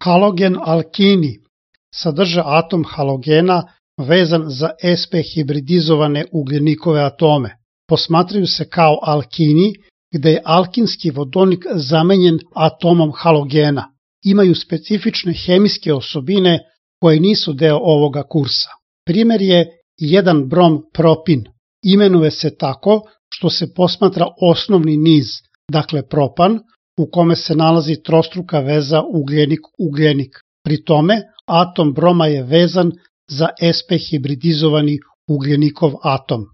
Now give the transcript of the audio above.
Halogen alkini sadrže atom halogena vezan za sp hibridizovane ugljenikove atome. Posmatraju se kao alkini, gde je alkinski vodonik zamenjen atomom halogena. Imaju specifične hemijske osobine koje nisu deo ovoga kursa. Primjer je 1 brom propin. Imenuje se tako što se posmatra osnovni niz, dakle propan, u kome se nalazi trostruka veza ugljenik-ugljenik. Pri tome, atom broma je vezan za sp hibridizovani ugljenikov atom.